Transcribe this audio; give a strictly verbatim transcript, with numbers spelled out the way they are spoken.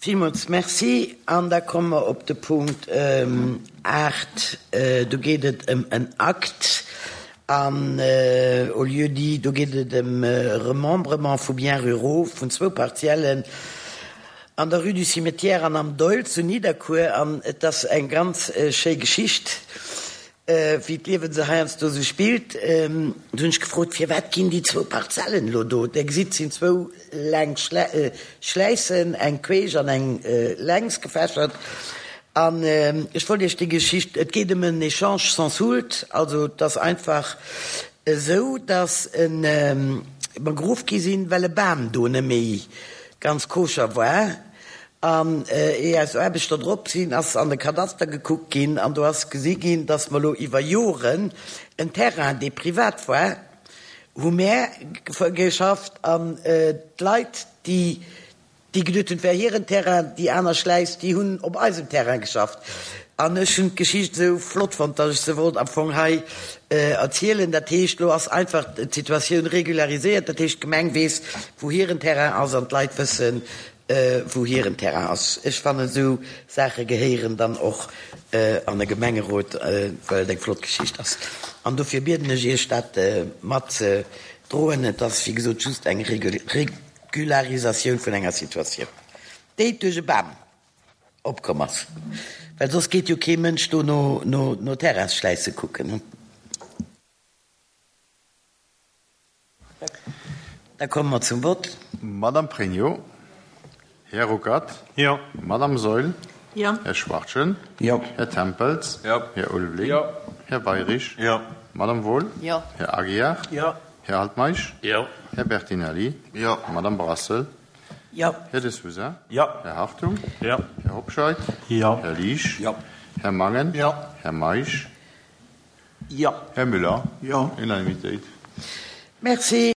Villmools Merci. An da komme mer op de Punkt aacht. Do geet et ëm en Akt an au lieu-dit, do geet et ëm Remembrement vu Biens ruraux vun zwou Partiellen an der Rue du Cimetière an am Doihl zu Nidderkuer. An et ass eng ganz schéi Geschicht, wéi d'Liewen se heiansdo sou spillt. Du hunn ech gefrot, Firwat ginn déi zwou Parzellen elo do? Der gesitt, et sinn zwou laang Schläissen, eng queesch an eng längs gefächert. An ech wollt Iech déi Geschicht, et geet ëm en Échange sans soulte, also et ass einfach esou, datt mer geruff gi sinn, well e Bam do net méi ganz koscher war. An éier eis Aarbechter drop sinn, ass an de Kadaster gekuckt ginn an do ass gesi ginn, dass mer elo iwwer Joren en Terrain, dee privat war, hu mär geschafft an d'Leit, déi déi geduet hunn, et wär hiren Terrain, déi aner Schläiss, déi hunn op eisem Terrain geschafft. An ech hunn d'Geschicht esou flott fonnt, dass ech se wollt am Fong hei erzielen. Dat heescht, elo ass einfach d'Situatioun regulariséiert. Dat heescht, d'Gemeng weess, wou hiren Terrain ass an d'Leit wëssen, wou hiren Terrain ass. Ech fannen, esou Saache gehéieren dann och an e Gemengerot, well et eng flott Geschicht ass. An dofir bieden ech Iech, dat mat ze droen. Et ass, wéi gesot, just eng Regularisatioun vun enger Situatioun, déi duerch e Bam opkomm ass, well soss geet jo kee Mënsch do no Terrainsschläisse kucken. Da komme mer zum Vott. Madame Pregno, Här Ruckert. Jo. Madame Saeul. Jo. Här Schwachtgen. Jo. Här Tempels. Jo. Här Ulveling. Jo. Här Weirich. Jo. Madame Wohl. Jo. Här Aguiar. Jo. Här Altmeisch. Jo. Här Bertinelli. Jo. Madame Brassel. Jo. Här De Sousa. Jo. Här Hartung. Jo. Här Hobscheit. Jo. Här Liesch. Jo. Här Mangen. Jo. Här Meisch. Jo. Här Müller. Jo. Unanimitéit. Merci.